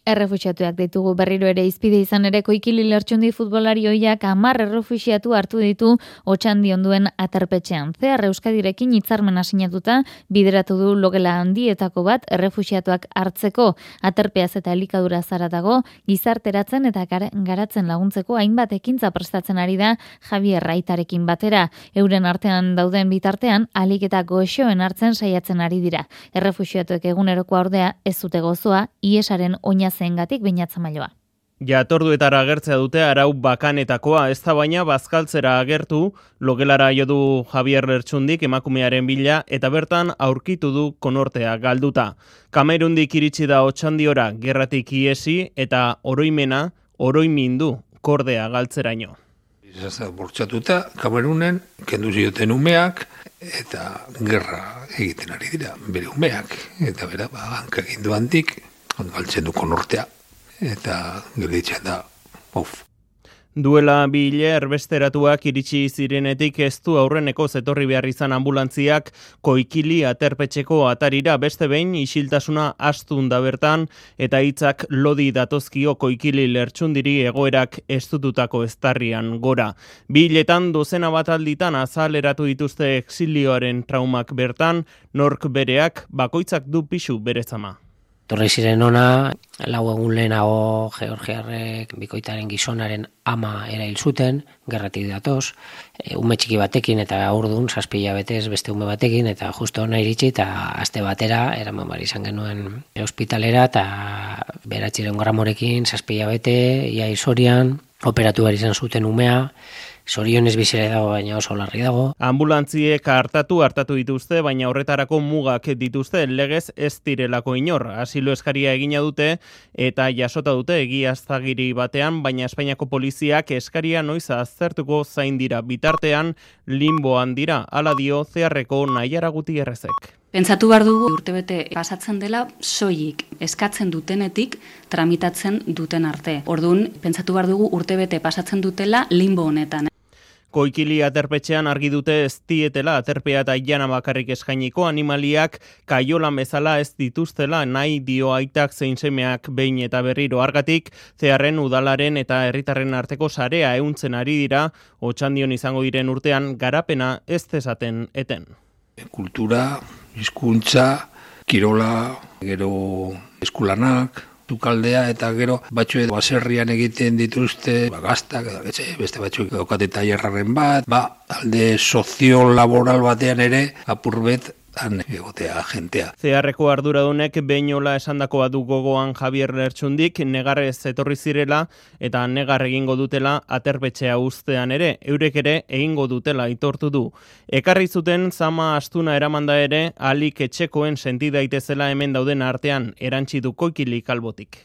Errefuxiatuak ditugu berriro ere izpide izan ere Koikili Lertxundi futbolari ohiak 10 errefuxiatu hartu ditu Otsandi onduen aterpetxean. Zehar Euskadirekin hitzarmena sinatuta bideratu du logela handietako bat errefuxiatuak hartzeko. Aterpeaz eta elikadura zaratago gizarteratzen eta garatzen laguntzeko hainbat ekintza prestatzen ari da Javier Raitarekin batera. Euren artean dauden bitartean ahalik eta goxoen hartzen saiatzen ari dira. Errefuxiatuek egunerokoa ordea ez dute gozoa, iesaren oinazengatik Beñat Zamailoa. Jatorduetara agertzea dute arau bakanetakoa, ez da baina bazkaltzera agertu, logelara jo du Javier Lertxundik emakumearen bila eta bertan aurkitu du konortea galduta. Kamerundik iritsi da Otsandiora gerratik iesi eta oroimindu kordea galtzeraino. Bortxatuta, Kamerunen, kendu zioten umeak, eta gerra egiten ari dira, bere umeak, eta bera, hanka egin duantik, galtzen du konortea, eta gelditzen da, Duela 2 hile erbesteratuak iritsi zirenetik ez du aurreneko zetorri behar izan ambulantziak Koikili aterpetxeko atarira, beste behin isiltasuna astun da bertan eta hitzak lodi datozkio Koikili Lertxundiri egoerak estututako eztarrian gora. 2 hiletan dozena bat alditan azaleratu dituzte exilioaren traumak bertan, nork bereak bakoitzak du pisu bere zama. Torri ziren ona, 4 egun lehenago Georgiarrek bikoitaren gizonaren ama erail zuten, gerratik datoz, ume txiki batekin eta urdun 7 hilabetez beste ume batekin, eta justo ona iritsi eta aste batera eraman bar izan genuen ospitalera eta 900 gramorekin 7 hilabete, ia izorian, operatu behar izan zuten umea, zorionez bizire dago, baina oso larri dago. Ambulantziek hartatu dituzte, baina horretarako mugak dituzte, legez ez direlako inor. Asilo eskaria egina dute eta jasota dute egiaztagiri batean, baina Espainiako poliziak eskaria noiz aztertuko zain dira. Bitartean, limboan dira, hala dio Zeharreko Naiara Gutierrezek. Pentsatu behar dugu urtebete pasatzen dela soilik eskatzen dutenetik tramitatzen duten arte. Orduan, pentsatu behar dugu urtebete pasatzen dutela limbo honetan. Koikili aterpetxean argi dute ez dietela aterpea eta jana bakarrik eskainiko, animaliak kaiolan bezala ez dituztela nahi dio aitak zein semeak behin eta berriro. Argatik, Zeharren udalaren eta herritarren arteko sarea ehuntzen ari dira, Otsandion izango diren urtean garapena ez dezaten eten. Kultura, hizkuntza, kirola, gero eskulanak, tukaldea eta gero batzuek baserrian egiten dituzte gaztak, beste batzuk daukate tailerraren bat, alde soziolaboral batean ere apurbet han egotea jentea. Zeharreko arduradunek beinola esandakoa du gogoan Javier Lertxundik, negarrez etorri zirela eta negar egingo dutela aterpetxea uztean ere, eurek ere egingo dutela aitortu du. Ekarri zuten zama astuna eramanda ere, alik etxekoen senti daitezela hemen dauden artean erantzi du Koikili Kalbotik.